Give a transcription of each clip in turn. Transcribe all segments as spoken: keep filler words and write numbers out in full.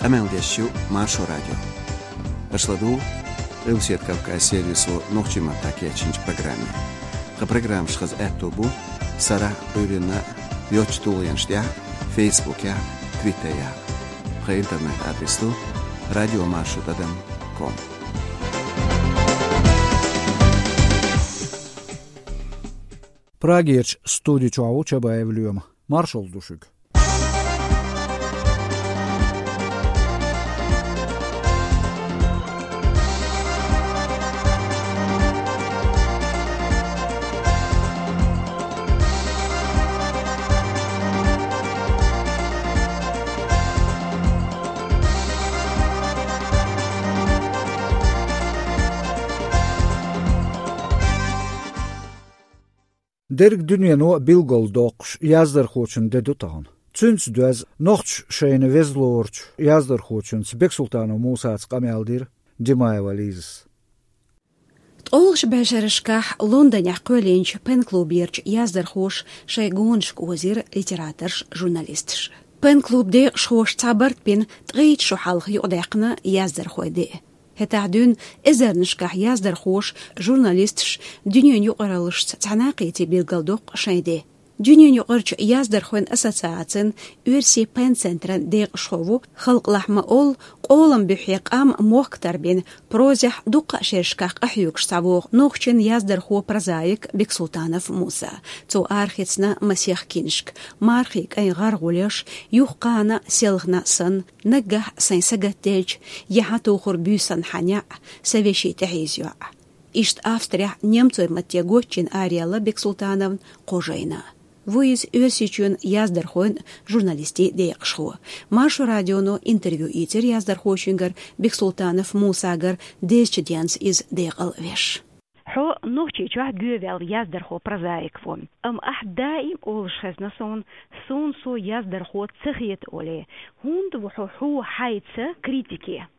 Къамел деш ю Маршо радио. Аша ладугӀу Къилбаседа Кавказ сервисо нохчийн маттахь кечйинчу программе. Тхан программаш хаза аьтто бу сарахь а, Ӏуьйранна а йоцачу тулгӀенаш тӀехь а, Фейсбукехь а, Твиттерехь а. Тхан интернет-адрес ду радиомаршо тӀадам ком. Прагерчу студи чохь ву Чабаев Лоьма. Маршалла ду шуьга. Дерриг дуьнено билгалдоккхуш яздархочун де ду тахана. Цуьнца доьзна нохчаша шайна веза лоручу яздархочуьнца Бексултанов Мусаца къамел дира Димаева Лизас. ТкъолгӀачу бӀешерашкахь Лондонехь кхоьллинчу пен-клуберчу яздархоша шайн гонашка озийра литераторш, журналисташ. Пен-клуб декъашхоша цхьа барт бина, ткъе итт шо хьалха юкъадаьккхина яздархойн де. ХӀетахь дуьйна эзарнашкахь яздархоша, журналисташа дуьненан юкъараллашца цхьаьна а кхетий билгалдоккху шайн де. Дуьненан юкъарчу яздархойн ассоциацин, оьрсийн пен-центран декъашхо ву халкъалахь ма-оллу, къолам буьххье къам мохк тарбина, прозехь дуккха а шерашкахь къахьоьгуш схьавогӀу нохчийн яздархо-прозаик Бексултанов Муса. Цо арахецна масех киншка: «Мархин кӀайн гӀаргӀулеш», «Юхакхана селхана сан», «Наггахь сайн сагатделча», «Яхьа тухур буьйсанна хьан неӀ», «Сан вешин тӀехьийза йоӀ». Иштта Австрехь немцойн матте гочйина араяьлла Бексултановн кхо жайна. Ву иза Оьрсийчоьнан яздархойн а, журналистийн а декъашхо. Маршо радионо интервью ийцира яздархочуьнгара Бексултанов Мусагара, дезачу денца иза декъал а веш. Хьо Нохчийчохь гоьваьлла яздархо-прозаик ву. Амма ахь даим олуш хезна суна, суна со яздархо ца хета олий. ХӀунда ву хьо хьо хьайца критике?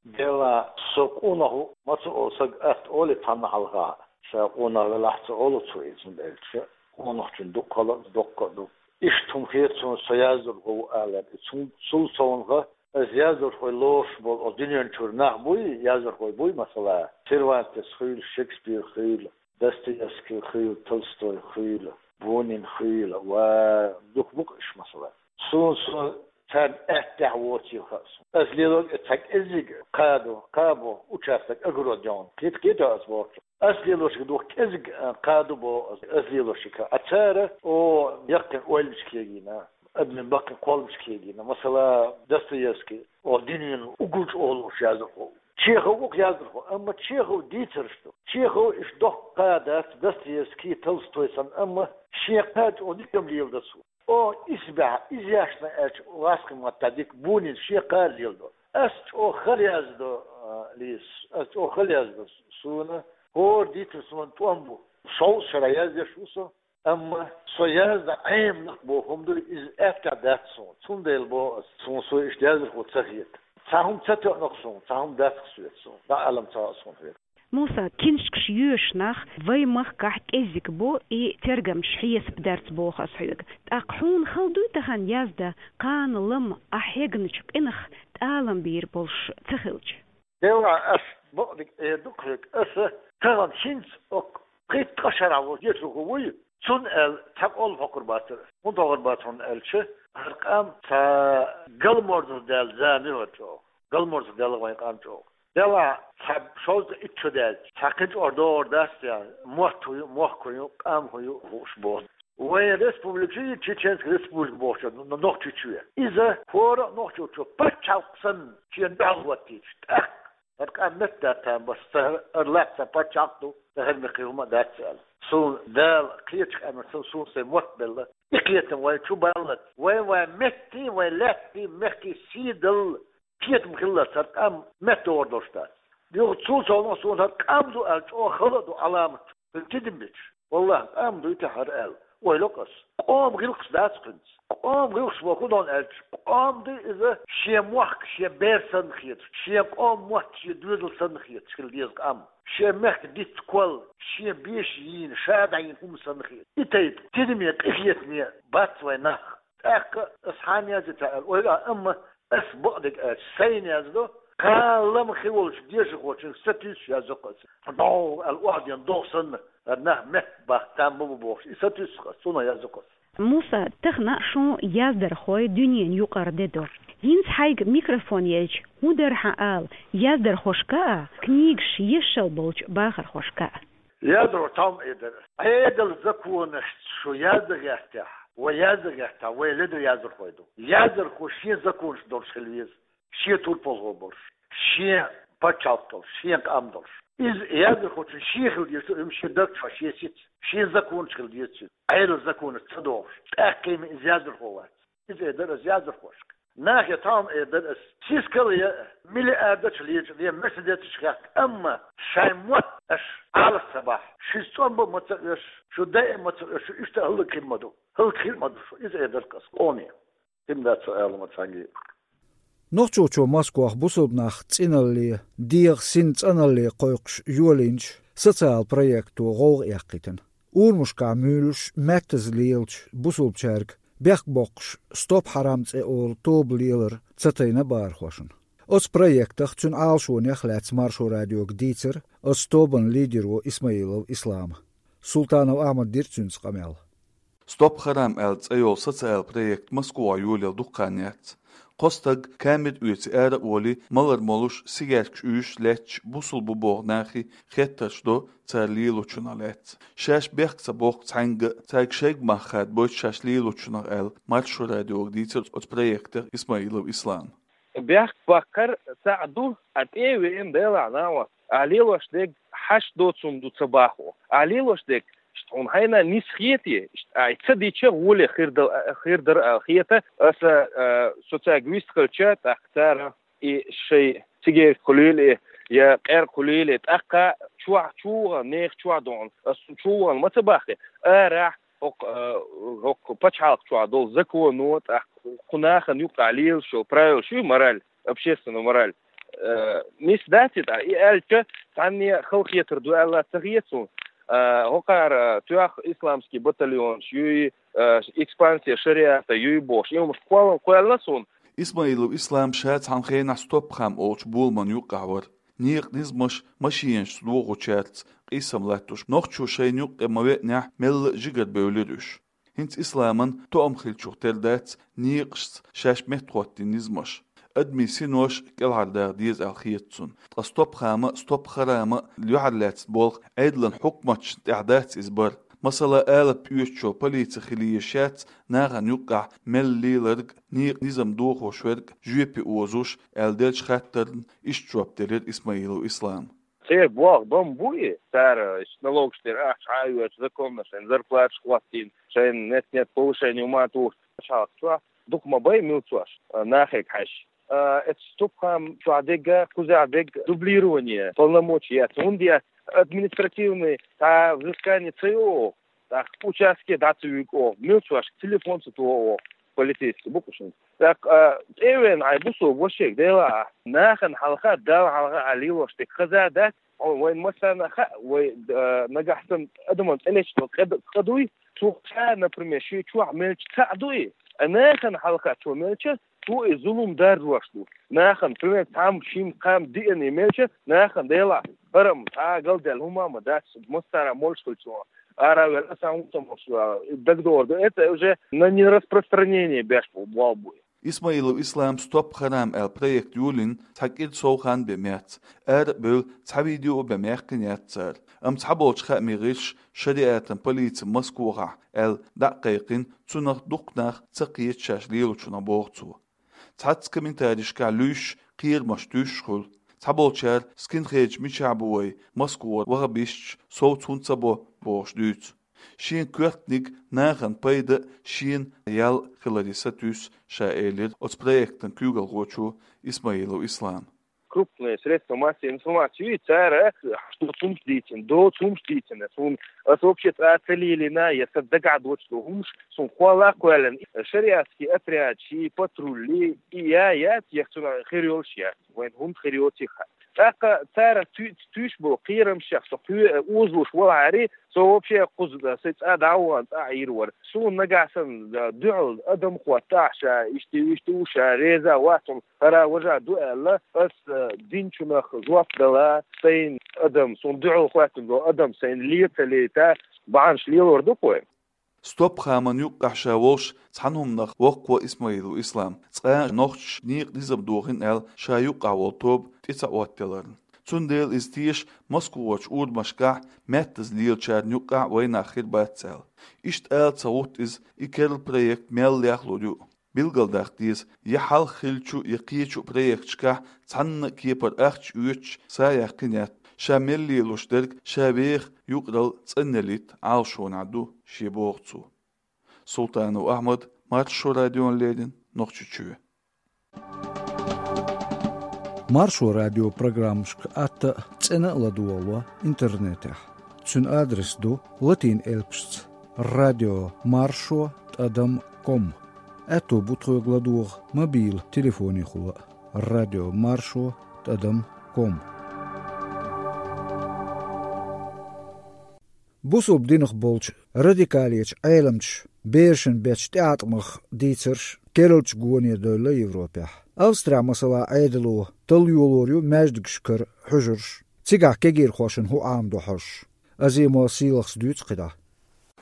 Делахь со къонах ву, маца олу сага атта олий цхьанна хьалха, ша къонах велахь ца олу цо иза, хӀунда аьлча къонахчун дукха хала а, доккха а ду. Иштта хӀума хета суна, со яздархо ву алар. И цун, цул совнаха, аса яздархой лоруш болу оцу дуьнен чуьра нах буй, яздархой буй, масала, Сервантес хуьйла, Шекспир хуьйла, Достоевский хуьйла, Толстой хуьйла, Бунин хуьйла, ва дукха бу-кх уьш, масала. Суна со царна аьттехь воцийла хаьа суна. Аса лелориг а цхьа кӀеззиг кхаду, кхаба участок, огород йогӀу. Кхета-кхета аса бохучу. Аса лелориг дукха кӀеззиг, а, кхаду боху аса, аса лелориг. А цара, о, яккхийна ойланаш кегийна, адамийн баккхийна кхолламаш кегийна. Масала, Достоевский, о, дуьненан уггар чӀогӀа лууш яздархо ву. Чехов ву-кх яздархо, амма Чехов дийцарш ду. Чехов иштта доккха кхадац, Достоевский, Толстой санна, амма шен кхача о дика-м леладо цо. О, исбаьхьа, иза яшна аьлча, васкхи ма-дда дика, Бунин шен кхара леладо. Ас чӀогӀа хала яздо, а, Лиза, ас чӀогӀа хала яздо суна, хӀора дийцар суна тӀом бу. Шовзткъа шарахь яздеш ву со, амма со яздан Ӏемнах боху хӀума ду, иза аьттехь дац суна. Цундела боху ас, суна со иштта яздархо ца хета. Цхьа хӀума ца тоьъна-кх суна, цхьа хӀума дац-кх соьца суна, дӀаалам ца хаьа суна хета. Муса, киншкаш йоьшу нах вайн махкахь кӀеззиг бу, и тергамчаша хьесап дарца боху ас хьоьга. ТӀаккха хьуна хала дуй тахана яздан кхана-лама ахь хьегначу къинах тӀалам бийр болуш ца хилча? Делахь ас бакъдерг эр ду-кх хьоьга, аса тахана хӀинца оккха пхийтта-ткъа шарахь волу кхеташо вуй, цунна аьлла цхьа къола хьокхур бацара. ХӀунда хьокхур бац хьуна аьлча, хӀара къам цхьа галморзах даьлла зама ю хӀара чӀогӀа. Галморзах даьлла вайн къам чӀогӀа. Делахь цхьа шовзткъа итт шо даьлча, цхьа кхин чӀогӀа догӀур дац те, мотт хӀун ю, мохк хӀун ю, къам хӀун ю хууш боху. Вайн республика ю, Чеченская республика бохучу, н-, Нохчийчоь. Иза хӀора а нохчочо пачхьалкх санна шена дуьхьал хӀоттийча, тӀаккха хӀара къам меттадаьтта бац, ца хӀара лаьцна пачхьалкх ду, ца хӀара мехкан хӀума а дац аьлла. Суна Дала кхечу къаьмнашца суна сайн мотт белла, и кхетам вайн чу баллалц, вайн, вайн меттийн, вайн лаьттийн, мехкийн сий далла, кхетам хиллалц хӀара къам меттадогӀур долуш дац. Юха цул совнаха суна хӀара къам ду аьлла чӀогӀа хала а ду Ӏаламат, хӀара тидам бечу. Валлахь, къам дуй те хӀара аьлла, ойла йо-кх ас. Къоман гӀиллакхаш дац-кх хӀинца. Къоман гӀиллакхаш боху хӀун ду аьлча, къам ду иза шен мохк шен бер санна хеташ, шен къоман мотт шен доьзал санна хеташ хила деза къам. Шен мехкан диц-кол шен беша йийна, ша дӀайина хӀума санна хеташ. И тайпа тидаме, къинхетаме бац вайн нах. ТӀаккха ас хьанна язйи ца аьлла ойла а, амма Ас бакъдерг аьлча, сайна яздо, кхаллам хи волчу дешархочуьнга сатуьйсуш яздо-кх ас. ДӀо аьлла охьаден догӀу санна, нах меттабаккха там бу-бу бохуш, и сатуьйсу-кх ас, цунах яздо-кх ас. Муса, тахана шун яздархой дуьненан юкъара де ду. ХӀинца хьайга микрофон елча, хӀун дара хьан ала, яздархошка а, книгаш ешшал болчу бахархошка а? Яздархо тхьовма эр дара. Ӏедалан законашца шу яздан гӀертехь, вай яздан гӀертахь, вай ледара яздархой ду. Яздархо шен законаш долуш хила веза, шен турпалхо болуш, шен пачхьалкх долуш, шен къам долуш. Иза яздархочун шен хила деза, уьш шен даг чохь, шен сица, шен законаш хила деза цуьнан. Ӏедалан законаш ца дохуш, тӀаккха-м иза яздархо вац. Иза эр дара ас яздархошка. Нахе тхьовма эр дара ас. Сискал я, миллиардаш лечу, я Мерседесаш хехка, амма шайн мотт аша Ӏалаш ца бахь, шуьца цӀом бан ма ца оьшу, шу даим ма ца оьшу, шу иштта хӀаллакьхир ма ду. ХӀаллакьхир ма ду шу. Иза эр дара ас къоме. Хин дац со ала ма цхьаьнгге. Нохчийчоь Москвахь бусалба нах цӀиналле, дегӀан син цӀаналле кхойкхуш йолийначу социал проекто гӀовгӀа эккхийтина. Урамашкахь муьйлуш меттаза лелачу бусалбачаьрга бехк боккхуш «Стоп харам» цӀе олу тоба лелар ца тайна бахархошна. Оцу проектах, цуьнан Ӏалашонех лаьцна Маршо радиога дийцира оцу тобанан лидеро Исмаилов Ислама. Султанов Ахьмада дира цуьнца къамел. «Стоп харам» аьлла цӀе йолу социал проект Москвахь йолаелла дукха хан яц. Кхо стаг камера оьций ара а волий, малар молуш, сигаьркаш уьйшуш лаьтташ бусалба бу боху нахе хеттарш до цара лелочунах лаьцна. Шаьш бехк ца боккху цхьаьнгга а, цаьрга шайга мах хадабойту шаьш лелочунах аьлла, Маршо радиога дийцира оцу проектах Исмаилов Ислама. Бехк баккхар цхьаъ ду, а тӀе а веана, делахь нахь вац. А лелош дерг хьашт доцург ду ца бахо. А лелош дерг, иштта хьуна хьайна нис хетий, иштта ай ца дича гӀоле хир дал-, хир дара аьлла хета, аса, а, со цаьрга вистхилча, тӀаккха цара и шайн цигерка хуьлийла и, я къаьркъа хуьлийла и, тӀаккха чохь чу вахана, нехан чохь дохана, аса чу вахана ма ца баххи, арахь хӀокху, а, хӀокху пачхьалкх чохь долу законо, тӀаккха кху нахана юккъахь лелаш йолу правилаш ю, мораль, общественная мораль. Э, нис дац и тӀаккха, и аьлча, цхьанне халахетар ду аьлла ца хета суна. Э, хӀокхара тоьхна исламский батальонаш юй, э, экспансия шариата юй бохуш, и хӀумаш кхоллам кхоьллина суна. Исмаилов Ислам ша цхьана хенахь «Стоп хам» олучу боламан юккъехь вара. Некъан низамаш машенашца дохучаьрца къийсам латтош, нохчо шайна юккъе ма веанехь, мелла а жигарабевлира уьш. ХӀинца Исламан тоам хиллачух тера дац некъашца шаьш меттахӀоттийна низамаш. Адамийн синош кӀелхьардаха деза аьлла хета цунна. Ткъа «Стоп хам» а, «Стоп харам» а юьхьарлаьцна болх Ӏедалан хьукматашна тӀехь дац иза бар. Масала, алапа оьцучо полици хила езаш яц нахана юккъехь мелла леларг, некъан низам дохош верг жоьпе озуш аьлла деллачу хаттарна иштта жоп делира Исмаилов Ислама. Церан болх бан бу и, цара налогаш тера ахча хьан а оьцу, законно шайн зарплаташ хӀоттийна, шайн нет-нет повышение ма туху. Шалха чохь дукха ма бай милцош, а, нахега хьаьжча. А, эцу «Стоп хам» чохь дерг а, кхузахь дерг а дублирование полномочий яц. ХӀунда яц? Административный цхьа взыскание ца йо оха, тӀаккха участке дӀа ца вуьгу оха, милцошка телефон ца туху оха, полицейский бу-кх уьш. ТӀаккха, а, тӀе а веана, хьайн бусалба вашега, делахь, нахана хьалха, Далла хьалха а лелош дерг хаза дац, хьо вайна массарна а хаьа, вай, а, нагахь санна адаман цӀе лечдо къа д-, къа дуй, цо ша, например, шен чохь мелча цхьаъ ду и, а нахана хьалха цо мелча, цо и зулам даржош ду. Нахана, пример, цхьамма, шимма, кхамма диъана и мелча, нахана, делахь, хӀара-м цхьа а галдаьлла хӀума а ма дац, массара а молуш хилча, ара а ваьлла, сан хӀун ца молуш, а, дагадогӀур ду, это уже на нераспространение беш бу, болх бу и. Исмаилов Ислам «Стоп харам» аьлла проект йолийна цхьа кӀира сов хан бен меца, ара а бевлла, цхьа видео а бен маьккхина яц цара. Амма цхьаболчу хаамийн гӀирсаша шариатан полици Москвахь аьлла дӀа а кхайкхина, цунах дукха нах ца кхета шаьш лелочунах, боху цо. Цхьацца комментарийшкахь луьйш кхерамаш туьйсуш хуьлу. Цхьаболчара: «Скинхедаш мичахь бу вай, Москвара ваххабисташ, совца хӀунда ца бо?» – бохуш дуьйцу. Шен коьртаниг нахана пайда а, шена ял а хиларе сатуьйсу ша, элира оцу проектан куьйгалхочо Исмаилов Ислама. Крупные средства массовой информации, цара хьашт доцу хӀумаш дийцина, доцу хӀумаш дийцина. Суна, ас вообще цкъа а ца лелийна, я сан дагахь доцуш долу хӀумаш суна кхолла а кхоьллина. Шариатский отряд, ши патруль, и я яц, я цунах хир йолуш яц. Вайн хӀунда хир йоций хаьа. ТӀаккха цара туьйцу, туьйцуш болу кхерамашех со кхоьа озалуш валахьара, со вообще кхуза сайн цӀа дӀавахана цӀа Ӏийр вара. Суна нагахь санна дуьхьал адам хӀоттахь, ша иштта, иштта ву, ша реза вац хӀара важа ду аьлла, ас динчунах жоп дала, сайн адам, суна дуьхьал хӀоьттина долу адам сайна лен ца лейта, бахьанаш лелор ду-кх вай. Стопхаман юккъехь ша волуш цхьана хӀуманах воккхаво Исмаилов Ислам. Цкъа нохчаша некъан низам дохийна аьлла, ша юккъехь волу тоба тӀе ца Ӏоттаяларна. Цундела иза теша Москвахочу урамашкахь меттаза лелачарна юккъехь вайнах хир бац аьлла. Иштта ала ца гӀутту иза, и керла проект мел лехлур ю. Билгалдаккха деза, я хьалха хиллачу, я кхечу проекташкахь цхьанна а кепара ахча оьцуш са яьккхина яц, ша мел лелош дерг ша веха юкъаралла цӀанъялийта Ӏалашонехь ду шен, боху цо. Султанов Ахьмад, Маршо радиона леррина, Нохчийчоь. Маршо радион программашка атта а, цӀена а ладогӀало интернетехь. Цуьнан адрес ду латин элпашца: радио маршо тӀадам ком. Аьтто бу тхоьга ладогӀа мобил телефонехула а: радио маршо тӀадам ком. Бусалба динах болчу радикалечу Ӏеламчаша берашна бечу тӀеӀаткъамах дийцарш керлачу гоне девлла Европехь. Австрехь, масала, Ӏедало талла йолор ю маьждигашкара хьуьжарш. Цигахь кегийрхошна хӀун Ӏамадо хьожуш? Азимова Сийлахьас дуьйцу кхидӀа.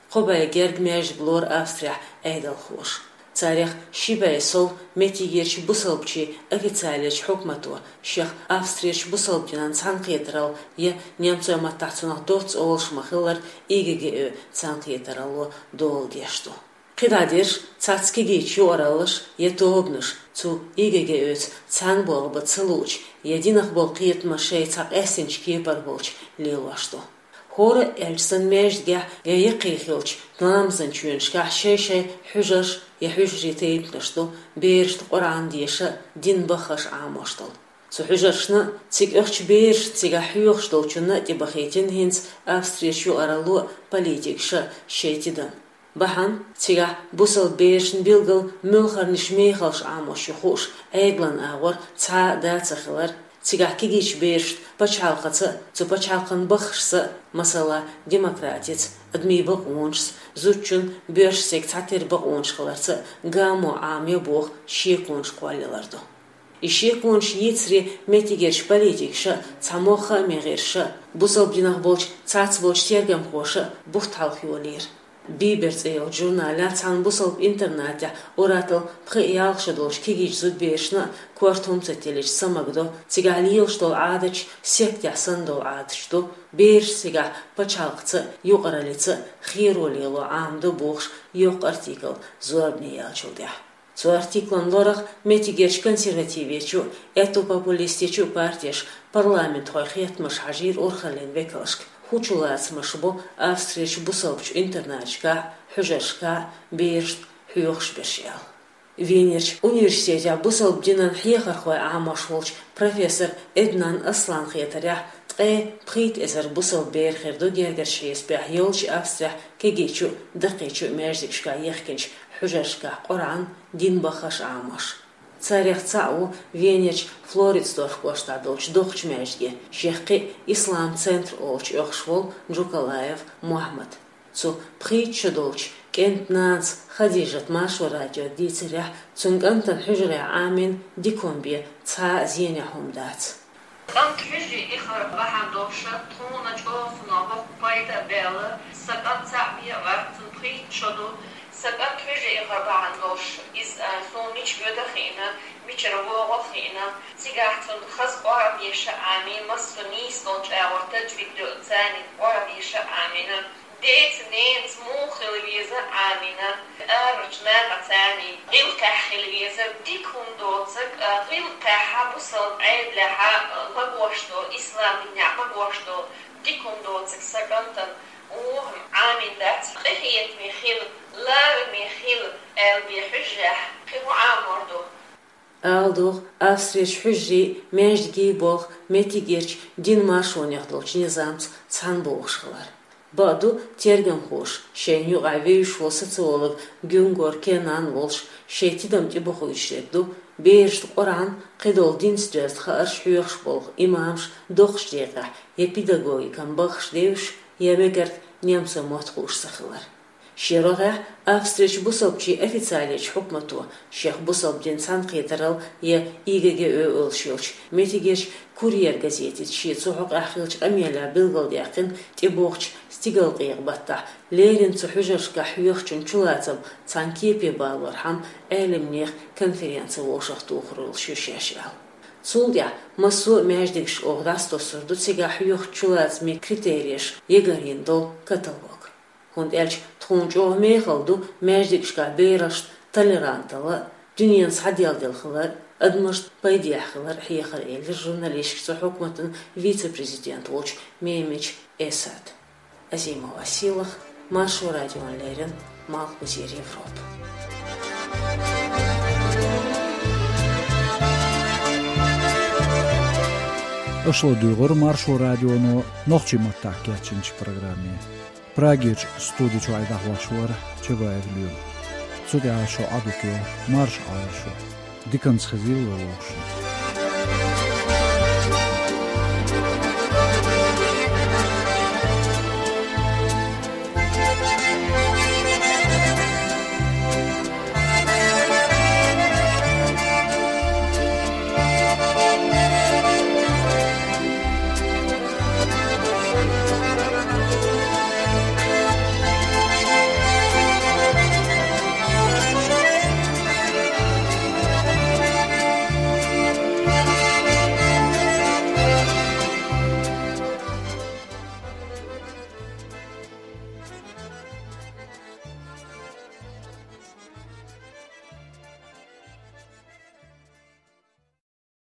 Кхо бӀе герга маьждиг лору Австрехь Ӏедалхоша. Царех ши бӀе сов меттигерчу бусалбачийн официалечу хьукмато шех Австрерчу бусалба динан цхьаьнакхетаралла я, немцойн маттахь цунах доцца олуш ма-хиллара, ИГГО цхьаьнакхетаралло дола деш ду. КхидӀа дерш цхьацца кегийчу юкъараллаша я тобанаша цу ИГГО-ца цхьаьна болх бан ца луучу я динах болу кхетамаш шайн цхьа къаьстинчу кепара болчу лелош ду. ХӀора а аьлча санна, маьждигехь я яккхий хиллачу ламазан чоьнашкахь шай-шай хьуьжарш я хьуьжарийн тайпанаш ду, берашна Къуръан деша а, дин баххаш а Ӏамош долу. Цу хьуьжаршна а, цига оьхучу берашна, цигахь хьоьхуш долчунна а тӀебахийтина хӀинца Австрерчу юкъаралло а, политикаша а шайн тидам. Бахьана цигахь бусалба берашна билггал муьлхарниш, мехалш Ӏамош ю хууш, Ӏедалан агӀор цхьа а да ца хилар, цигахь кегийчу берашна пачхьалкхаца а, цу пачхьалкхан баххашца а, масала, демократица, адамийн бакъонашца, зудчун, боьрша стеган цхьатерра бакъонаш хиларца а гамо Ӏамайо боху шеконаш кхоллаялар ду. И шеконаш йийцаре меттигерчу политикаша а, цхьа могӀа хааман гӀирсаша а, бусалба динах болчу цхьацца болчу тергамхоша а бутт хьалха йолийра. Бибер цӀе йолчу журналехь цхьана бусалба интернатехь ур-атталла пхи-ялх шо долчу кегийчу зудаберашна а корта хӀума ца теллича, са магадо, цигахь лелаш долу Ӏадаташ сектехь санна долу Ӏадаташ ду, бераш цигахь пачхьалкхаца а, юкъараллица а херо лело Ӏамадо бохуш, йоккха артикл зорбане яьллачул тӀаьхьа. Цу артиклан лорах меттигерчу консервативечу а, аьтту-популистичу а партеша парламентхойн хеттамаш хьажийра урхаллин векалшка. ХӀун чулацамаш бу Австрерчу бусалбачу интернаташкахь а, хьуьжаршкахь а берашна хьоьхуш берш аьлла? Венерчу университетехь бусалба динан хьехархой Ӏамош волчу профессор Эднан Асланан хетарехь, ткъе пхийтта эзар бусалба бер хир ду гергарчу хьесапехь йолчу Австрехь кегийчу а, даккхийчу а маьждигашкахь ехкинчу хьуьжаршкахь Къуръан, дин баххаш Ӏамош. Царех цхьаъ ву Венерчу Флоритсдорф кӀоштахь долчу доккхачу маьждиге, шех кхин а Ислам центр олучу оьхуш волу Джукалаев Мохьмад. Цу пхийтта шо долчу кӀентан нанас Хадижат Маршо радиога дийцарехь, цуьнан кӀантана хьуьжарехь Ӏамийна дика хӀума бен цхьа а зенехь хӀума дац. КӀант хьуьжаре ихар бахьана долуш, тхуна чӀогӀа цунах боккха пайда а баьлла, сан кӀант цхьаъ бен а вац, цуьнан пхийтта шо ду. Сан кӀант хьуьжаре ихар бахьана долуш, иза, а, суна мича воьду а хиъна, мичара вогӀу а хиъна, цигахь цунна хаза Къуръан деша а Ӏамийна, массо а нийса долчу агӀор тажвид доьзна царна Къуръан деша а Ӏамийна. Деца, ненаца муха хила веза а Ӏамийна, арарчу нахаца царна гӀиллакхехь хила веза, дика хӀума доцург, а, гӀиллакхехь, бусалба Ӏедалехь, а, магош долу, ислам динехь магош долу дика хӀума доцург сан кӀантана муха Ӏамийна дац, къинхетаме хила, лараме хила аьлла бен хьуьжарехь кхин хӀун Ӏамор ду? Ала догӀу, Австрерчу хьуьжарийн, маьждигийн болх меттигерчу динан маршонех долчу низамца цхьаьна богӀуш хилар. Бакъду, тергамхоша шайна юкъахь вевзаш волу социолог Гюнгор Кенан волуш шайн тидам тӀебохуьйтуш дерг ду, берашна Къуръан, кхидолу динца доьзна хаарш хьоьхуш болу имамаш доккхачу декъехь я педагогикан баххаш девзаш, я мегарг немцойн мотт хууш ца хилар. Шен рогӀехь Австрерчу бусалбачийн официалечу хьукмато шех бусалба дин цхьаьнакхетаралла я И Г Г О олуш йолчу меттигерчу «Курьер» газетица шен цу хьокъехь хиллачу къамелехь билгалдаьккхина тӀебогӀучу стигалкъекъа баттахь леррина цу хьуьжаршкахь хьоьхучун чулацам цхьана кепе балорхьама Ӏеламнехан конференци вовшахтухур йолуш ю шаьш аьлла. Цул тӀаьхьа массо а маьждигашка оха дӀасатосур ду цигахь хьоьхучу чулацамийн критереш ягарйина долу каталог. ХӀунда аьлча тхуна чӀогӀа мехала ду маьждигашкахь берашна толеранталла, дуьненан схьаделладелла хилар, адамашна пайдехь хилар хьехар, элира журналисташка цу хьукматан вице-президент волчу Мемич Эсад. Азимова Сийлаха, Маршо радиона леррина, Малхбузера Европа. Аша ладуьйгӀира Маршо радионо нохчийн маттахь кечйинчу программе. Прагерчу студи чуьра дӀахьош вара Чабаев Лоьма. Цу тӀехь шун Ӏадика йо, марша Ӏойла шу. Диканца хезийла вай вовшашна.